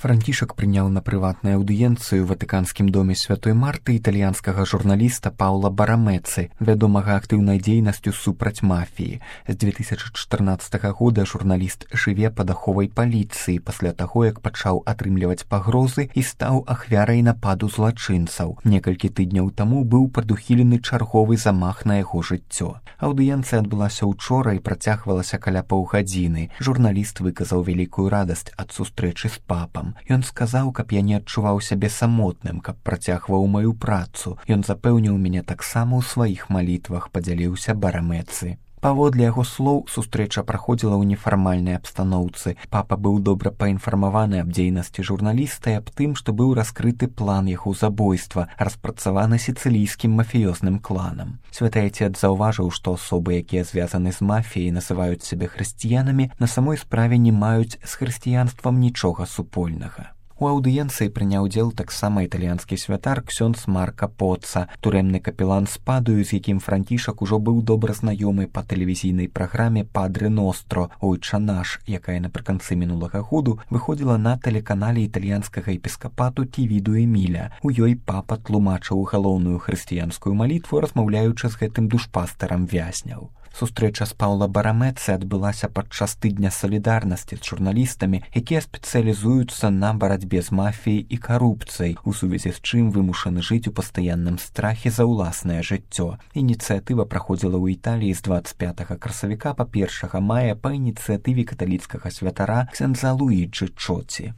Францішак прыняў на прыватную аўдыенцыю ў ватыканскім доме святой Марты італьянскага журналіста Паўла Барамэцы, вядомага актыўнай дзейнасцю супраць мафіі. З 2014 года журналіст жыве пад аховай паліцыі пасля таго, як пачаў атрымліваць пагрозы і стаў ахвярай нападу злачынцаў. Некалькі тыдняў таму быў прадухілены чарговы замах на яго жыццё. Аўдыенцыя адбылася ўчора і працягвалася каля паўгадзіны. Журналіст выказаў вялікую радасць ад сустрэчы з папам. Ён сказаў, каб я не адчуваў сябе самотным, каб працягваў маю працу. Ён запэўніў мяне таксама ў сваіх малітвах, падзяліўся Барамэцы. Паводле яго слоў, сустрэча праходзіла ў нефармальнай абстаноўцы. Папа быў добра паінфармаваны аб дзейнасці журналіста і аб тым, што быў раскрыты план яго забойства, распрацаваны сіцылійскім мафіёзным кланам. Святы Айцец заўважыў, што асобы, якія звязаны з мафіяй, называюць сябе хрысціянамі, на самой справе не маюць з хрысціянствам нічога супольнага. У аўдыенцыі прыняў удзел таксама італьянскі святар ксёндз Марка Поцца, турэмны капелан з Падую, з якім Францішак ужо быў добра знаёмы па тэлевізійнай праграме «Падрэ Ностро» «Ойча наш», якая напрыканцы мінулага году выходзіла на тэлеканале італьянскага епіскапату Тівіду Эміля. У ёй папа тлумачыў галоўную хрысціянскую малітву, размаўляючы з гэтым душпастарам вязняў. Сустрэча з Паўла Барамэцы адбылася падчас тыдня салідарнасці з журналістамі, якія спецыялізуюцца на барацьбе з мафіяй і карупцыяй, у сувязі з чым вымушаны жыць у пастаянным страхе за ўласнае жыццё. Ініцыятыва праходзіла ў Італіі з 25 красавіка па 1 мая па ініцыятыве каталіцкага святара ксяндза Луіджы Чоці.